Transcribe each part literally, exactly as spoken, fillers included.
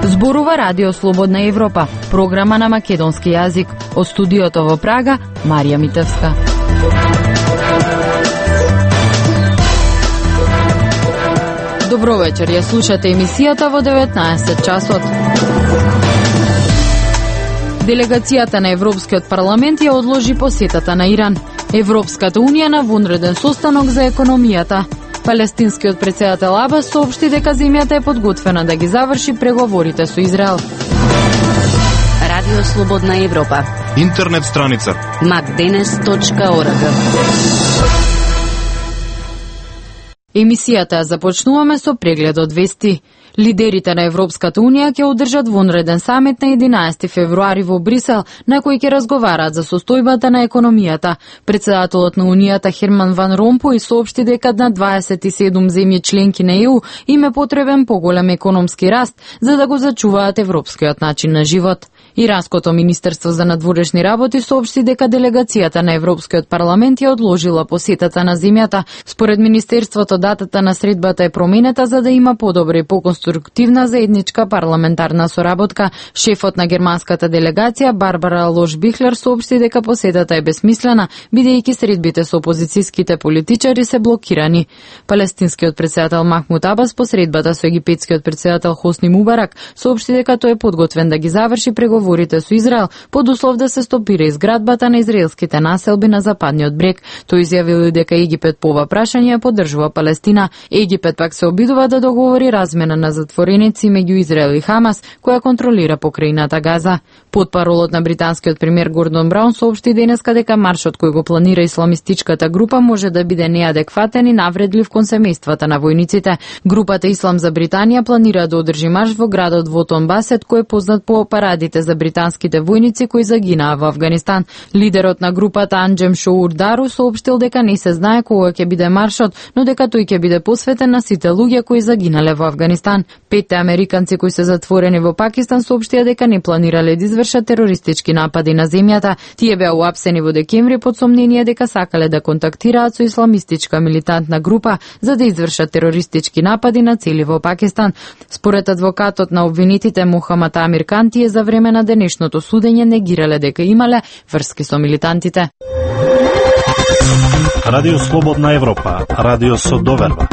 Зборува Радио Слободна Европа, програма на македонски јазик. Од студиото во Прага, Марија Митевска. Добро вечер, ја слушате емисијата во деветнаесет часот. Делегацијата на Европскиот парламент ја одложи посетата на Иран. Европската унија на вонреден состанок за економијата. Палестинскиот претседател Абас соопшти дека земјата е подготвена да ги заврши преговорите со Израел. Радио Слободна Европа. Интернет страница макденес точка орг. Емисијата ја започнуваме со преглед од вести. Лидерите на Европската унија ќе одржат вонреден самит на единаесети февруари во Брисел, на кој ќе разговараат за состојбата на економијата. Председателот на Унијата Херман Ван Ромпуј соопшти дека на дваесет и седум земји членки на Е У им е потребен поголем економски раст за да го зачуваат европскиот начин на живот. Иранското министерство за надворешни работи соопшти дека делегацијата на Европскиот парламент ја одложила посетата на земјата. Според министерството, датата на средбата е променета за да има подобра и поконструктивна заедничка парламентарна соработка. Шефот на германската делегација Барбара Лош-Бихлер соопшти дека посетата е бесмислена, бидејќи средбите со опозицијските политичари се блокирани. Палестинскиот претседател Махмуд Абас по средбата со египетскиот претседател Хосни Мубарак соопшти дека тој е подготвен да ги заврши преговорите Говорите со Израел под услов да се стопира изградбата на израелските населби на западниот брег. Тој изјавил дека Египет по ова прашање поддржува Палестина. Египет пак се обидува да договори размена на затвореници меѓу Израел и Хамас, која контролира покрајната Газа. Потпаролот на британскиот премиер Гордон Браун соопшти денеска дека маршот кој го планира исламистичката група може да биде неадекватен и навредлив кон семејствата на војниците. Групата Ислам за Британија планира да одржи марш во градот Вотон Басет, кој е познат по парадите за британските војници кои загинаа во Афганистан. Лидерот на групата Анџем Шоур Дару соопштил дека не се знае кога ќе биде маршот, но дека тој ќе биде посветен на сите луѓе кои загинале во Афганистан. Петте американци кои се затворени во Пакистан соопштија дека не планирале да извршат терористички напади на земјата. Тие беа уапсени во декември под сомнение дека сакале да контактираат со исламистичка милитантна група за да извршат терористички напади на цели во Пакистан. Според адвокатот на обвинетите Мухамад Амир Кан, тие за време на денешното судење негирале дека имале врски со милитантите. Радио Слободна Европа, радио со доверба.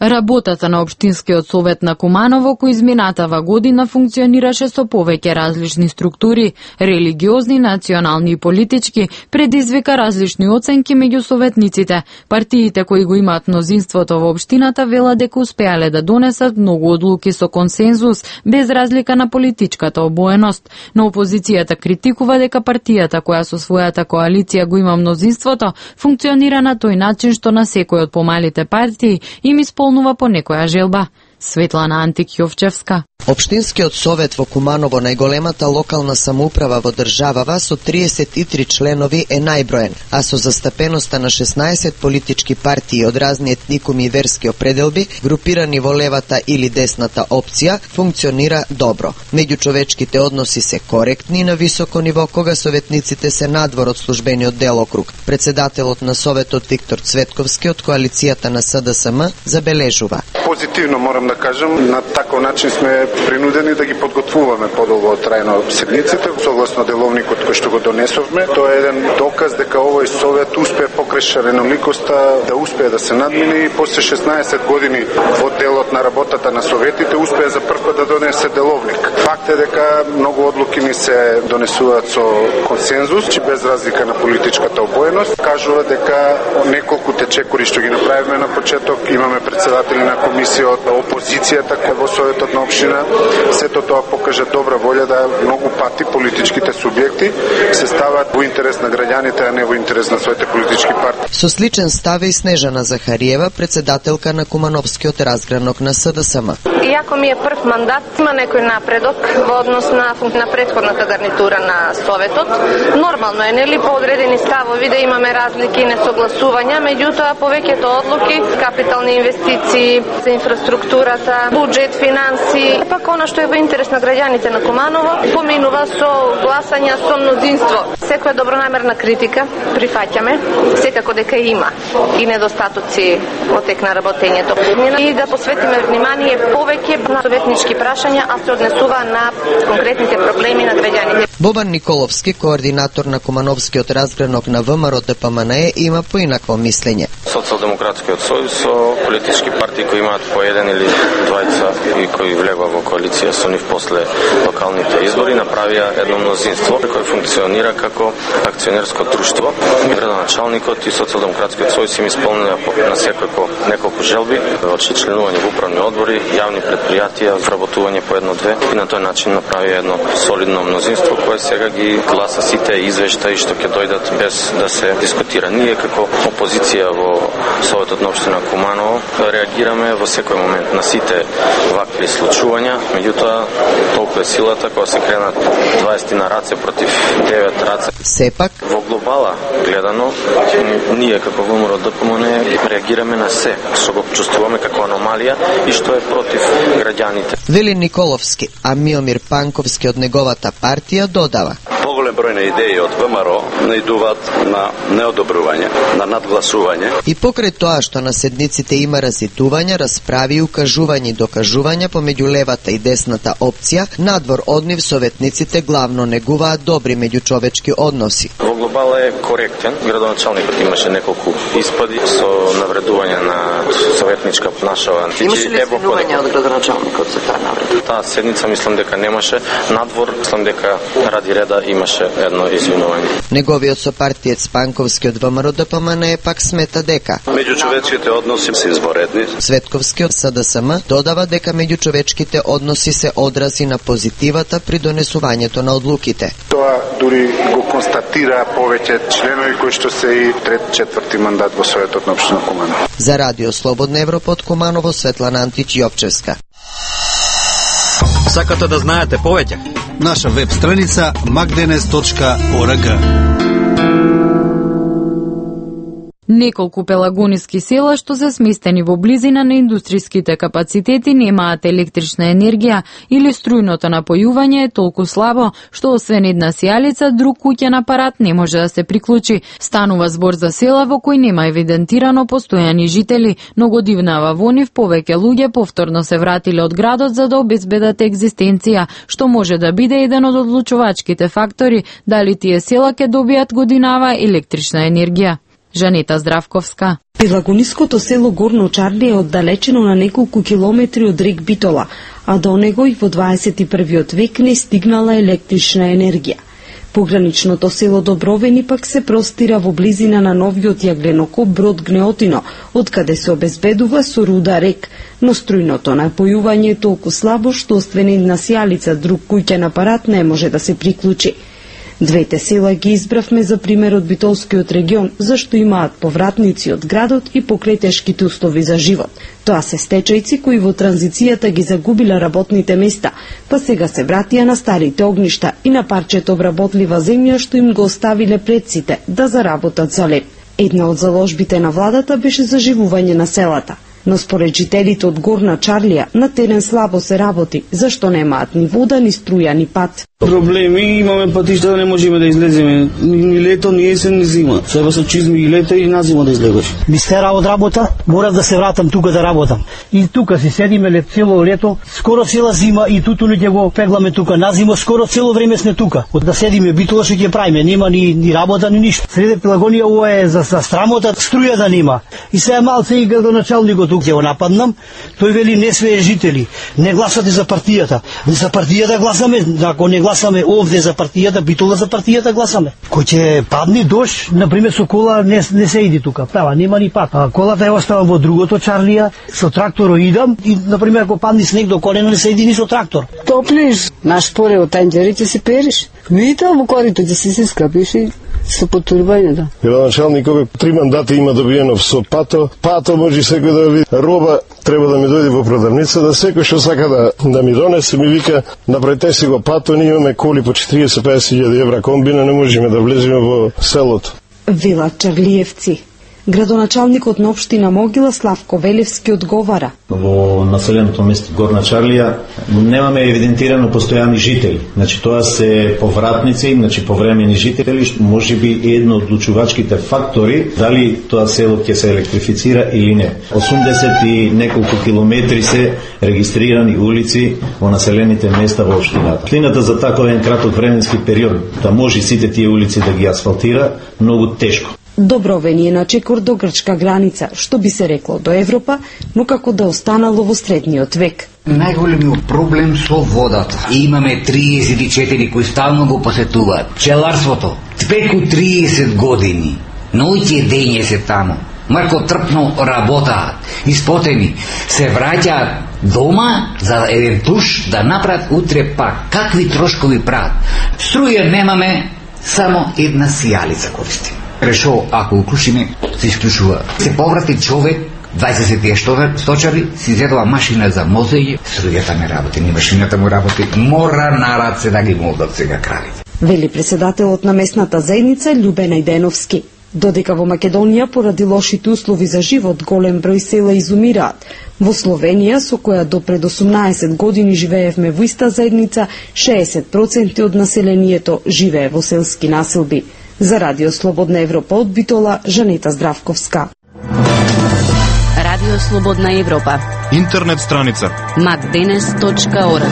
Работата на Општинскиот совет на Куманово, кој изминатава година функционираше со повеќе различни структури, религиозни, национални и политички, предизвика различни оценки меѓу советниците. Партиите кои го имаат мнозинството во општината велат дека успеале да донесат многу одлуки со консензус, без разлика на политичката обоеност. Но опозицијата критикува дека партијата која со својата коалиција го има мнозинството, функционира на тој начин што на секој од помалите партии им исполнува по некоја желба. Светлана Антик-Јовчевска. Општинскиот совет во Куманово, најголемата локална самоуправа во државава со триесет и три членови е најброен, а со застапеноста на шеснаесет политички партии од разни етникуми и верски определби, групирани во левата или десната опција, функционира добро. Меѓучовечките односи се коректни на високо ниво кога советниците се надвор од службениот делокруг. Председателот на советот Виктор Цветковски од коалицијата на С Д С М забележува. Позитивно морам да кажам, на таков начин сме принудени да ги подготвуваме подолго трајно седниците, согласно деловникот кој што го донесовме. Тоа е еден доказ дека овој совет успее покрај шареноликоста да успее да се надмине и после шеснаесет години во делот на работата на советите успее за прв пат да донесе деловник. Факт е дека многу одлуки ни се донесуваат со консензус, че без разлика на политичката обоеност. Кажува дека неколку течекори што ги направиме на почеток, имаме председатели на комисија од опозицијата кој во советот на општина. Сето тоа покажа добра волја да многу пати политичките субјекти се стават во интерес на граѓаните, а не во интерес на своите политички партии. Со сличен став и Снежана Захариева, председателка на Кумановскиот разгранок на С Д С М. Иако ми е прв мандат, има некој напредок во однос на, на претходната гарнитура на Советот. Нормално е, нели, по одредени ставови да имаме разлики и несогласувања, меѓутоа повеќето одлуки, капитални инвестиции, за инфраструктурата, буџет, финанси, пак она што е во интерес на граѓаните на Куманово, поминува со гласања со мнозинство. Секоја добронамерна критика прифаќаме, се секако дека има и недостатоци во тек на работењето. И да посветиме внимание повеќе на советнички прашања, а се однесува на конкретните проблеми на граѓаните. Бобан Николовски, координатор на Кумановскиот разгранок на ВМРО Д П М Н Е, има поинакво мислење. Социјалдемократскиот сојуз со политички партии кои имаат по еден или двајца и кои влегува во коалиција со нив после локалните избори направија едно мнозинство кој функционира како акционерско друштво. Градоначалникот и Социјалдемократскиот сојуз им исполнија на секој по неколку желби, од членување во управни одбори, јавни предпријатија, вработување по едно-две и на тој начин направија едно солидно мнозинство кое сега ги гласа сите извештаи што ќе дојдат без да се дискутира. Ние како опозиција во Советот на општина Куманово реагираме во секој момент на сите вакви случувања, меѓутоа толку е силата кога се кренат дваесет на раце против девет раце. Сепак во глобала гледано ние како ВМРО Д П М Н Е реагираме на се што го чувствуваме како аномалија и што е против граѓаните. Вели Николовски, а Миомир Панковски од неговата партија додава: поголем број на идеи од ВМРО наидуваат на неодобрување, на надгласување. И покрај тоа што на седниците има разитувања, расправи и укажувања и докажувања помеѓу левата и десната опција, надвор од нив советниците главно негуваат добри меѓучовечки односи. Во глобала е коректен. Градоначалникот имаше неколку испади со навредување на советничка нашава. Имаше ли извинување од градоначалникот за таа навреда? Таа седница мислам дека немаше. Надвор мислам дека ради реда имаше едно извинување. Неговиот сопартиец Панковски од ВМРО Д П М Н Е пак смета дека меѓучовечките односи се изворедни. Светковски од С Д С М додава дека меѓучовечките односи се одрази на позитивата при донесувањето на одлуките. Тоа дури го констатира повеќе членови кои што се и трет, четврти мандат во Советот на општина Куманово. За Радио Слободна Европа од Куманово, Светлана Антич Јовчевска. Сакате да знаете повеќе? Наша веб страница макденес точка орг. Неколку пелагониски села што се сместени во близина на индустријските капацитети немаат електрична енергија или струјното напојување е толку слабо што освен една сијалица друг куќен апарат не може да се приклучи. Станува збор за села во кои нема евидентирано постојани жители, но го дивнава во нив повеќе луѓе повторно се вратиле од градот за да обезбедат екзистенција, што може да биде еден од одлучувачките фактори дали тие села ќе добијат годинава електрична енергија. Жанета Здравковска. Пелагониското село Горно Чарли е оддалечено на неколку километри од рек Битола, а до него и во дваесет и првиот век не стигнала електрична енергија. Пограничното село Добровени пак се простира во близина на новиот јагленокоп Брод Гнеотино, од каде се обезбедува со руда рек, но струјното напојување е толку слабо што освен една сијалица друг куќен апарат не може да се приклучи. Двете села ги избравме за пример од Битолскиот регион, зашто имаат повратници од градот и покретешките услови за живот. Тоа се стечајци кои во транзицијата ги загубила работните места, па сега се вратија на старите огништа и на парчето вработлива земја што им го оставиле предците да заработат за леп. Една од заложбите на владата беше заживување на селата. Но според жителите од Горна Чарлија на терен слабо се работи, зашто немаат ни вода, ни струја, ни пат. Проблеми имаме патишта да не можеме да излеземе. Ни лето, ни есен, ни зима. Треба со чизми и лето и на зима да излегаш. Ми стера од работа, морав да се вратам тука да работам. И тука си седиме лет цело лето, скоро цела зима и туту луѓе го пегламе тука. На зима скоро цело време сме тука. Од да седиме Битола што ќе правиме, нема ни, ни работа ни ништо. Среде Пелагонија ова е за, за страмота, струја да нема. И сега малце и градоначалникот тук ќе го нападнам, тој вели не све жители, не гласате за партијата. За партијата гласаме, ако не гласаме овде за партијата, Битола за партијата гласаме. Кој ќе падне дожд, на пример со кола не, не се иди тука, права, нема ни пат. А колата ја оставам во другото Чарлија, со тракторо идам и на пример ако падне снег до колено не се иди ни со трактор. Топлиш, наш поре од танџерите се периш. Видите во корито ќе се се скапиш и со потурбање, да. Градоначалникот три мандати има добиено со пато. Пато може секој да види. Роба треба да ми дојде во продавница, да секој што сака да, да ми донесе, ми вика, направете си го пато, ние имаме коли по четириесет до песет илјади евра комбина, не можеме да влеземе во селото. Велат Чарлиевци. Градоначалникот на општина Могила Славко Велевски одговара. Во населеното место Горна Чарлија немаме евидентирано постојани жители. Значи тоа се повратници, значи повремени жители, што можеби е едно од одлучувачките фактори дали тоа село ќе се електрифицира или не. осумдесет и неколку километри се регистрирани улици во населените места во општината. Клината за таков еден краток временски период да може сите тие улици да ги асфалтира, многу тешко. Добровен е на чекор до грчка граница, што би се рекло до Европа, но како да останало во средниот век. Најголемиот проблем со водата. И имаме триесет и четири кои стално го посетуваат. Пчеларството, преку триесет години. Ноќе дење се таму. Марко трпно работаат, испотени, се враќаат дома за еден туш да направат утре пак. Какви трошкови прават? Струја немаме, само една сијалица користи. Решо, ако уклучиме, се исклучува. Се поврати човек, дваесет сточари, си зедова машина за мозење, струјата не работи, ни машината му работи, мора на раце да ги молдат сега кравите. Вели председателот на местната заедница Љубе Најденовски. Додека во Македонија поради лошите услови за живот голем број села изумираат, во Словенија, со која до пред осумнаесет години живеевме во иста заедница, шеесет проценти од населението живее во селски населби. За Радио Слободна Европа од Битола, Жанета Здравковска. Радио Слободна Европа. Интернет страница макденес точка орг.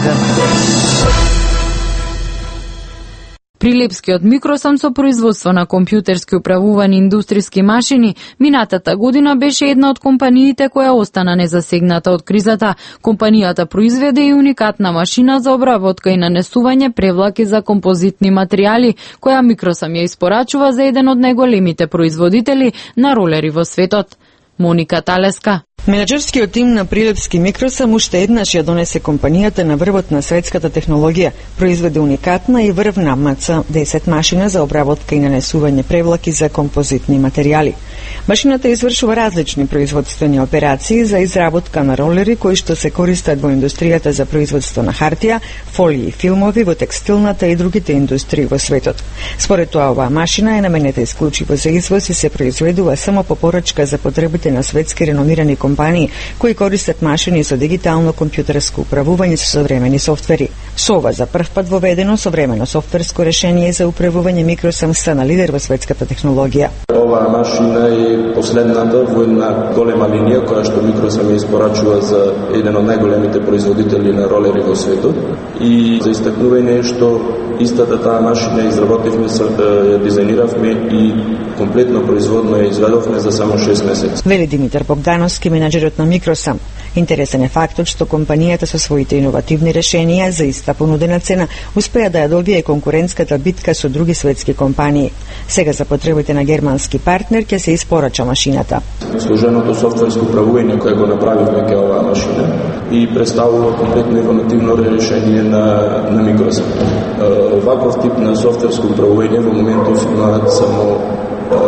Прилепскиот Микросам со производство на компјутерски управувани индустријски машини минатата година беше една од компаниите која остана незасегната од кризата. Компанијата произведе и уникатна машина за обработка и нанесување превлаки за композитни материјали, која Микросам ја испорачува за еден од најголемите производители на ролери во светот. Моника Талеска. Менеджерскиот тим на Прилепски Микросам уште еднаш ја донесе компанијата на врвот на светската технологија. Произведе уникатна и врвна М Ц десет машина за обработка и нанесување превлаки за композитни материјали. Машината извршува различни производствени операции за изработка на ролери кои што се користат во индустријата за производство на хартија, фолии и филмови, во текстилната и другите индустрии во светот. Според тоа, оваа машина е наменета исклучиво за извоз и се произведува само по порачка за потребите на светски реномирани компании кои користат машини со дигитално компјутерско управување со современи софтвери. Со ова за прв пат воведено современо софтверско решение за управување Микросам стана лидер во светската технологија. Оваа машина е последната во една голема линија која што Микросам ја испорачува за еден од најголемите производители на ролери во светот. И за истакнување што истата таа машина изработивме, ја дизајниравме и комплетно производно ја изведовме за само шест месеци. Вели Димитар Богдановски, менеджерот на Микросам. Интересен е фактот што компанијата со своите иновативни решенија за иста понудена цена успеа да ја добие конкурентската битка со други светски компании. Сега за потребите на германски партнер ќе се испорача машината. Сложеното софтверско управување кое го направивме ке оваа машина и представува комплетно иновативно решение на на Микросам. Оваков тип на софтверско управување во моментов имаат само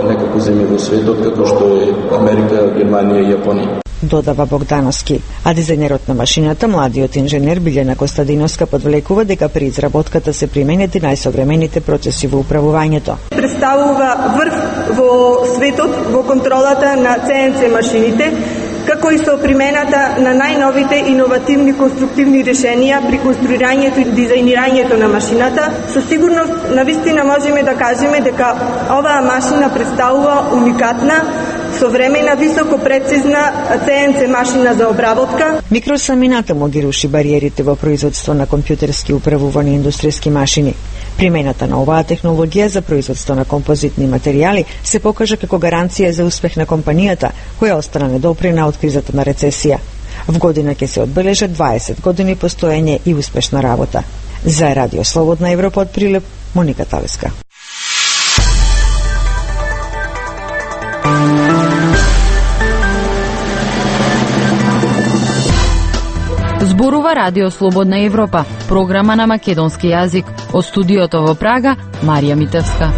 неколку земји во светот, како што е Америка, Германија и Јапонија. Додава Богдановски. А дизајнерот на машината, младиот инженер Билјана Костадиновска, подвлекува дека при изработката се применети најсовремените процеси во управувањето. Представува врв во светот во контролата на Це Ен Це машините, како и со примената на најновите иновативни конструктивни решенија при конструирањето и дизајнирањето на машината. Со сигурност, навистина можеме да кажеме дека оваа машина представува уникатна, современа, високо прецизна Це Ен Це машина за обработка. Микросам и натаму ги руши бариерите во производство на компјутерски управувани индустријски машини. Примената на оваа технологија за производство на композитни материјали се покажа како гаранција за успех на компанијата, која остана недопрена од кризата на рецесија. В година ќе се одбележат дваесет години постоење и успешна работа. За Радио Слободна Европа од Прилеп, Моника Талеска. Зборува Радио Слободна Европа, програма на македонски јазик. Од студиото во Прага, Марија Митевска.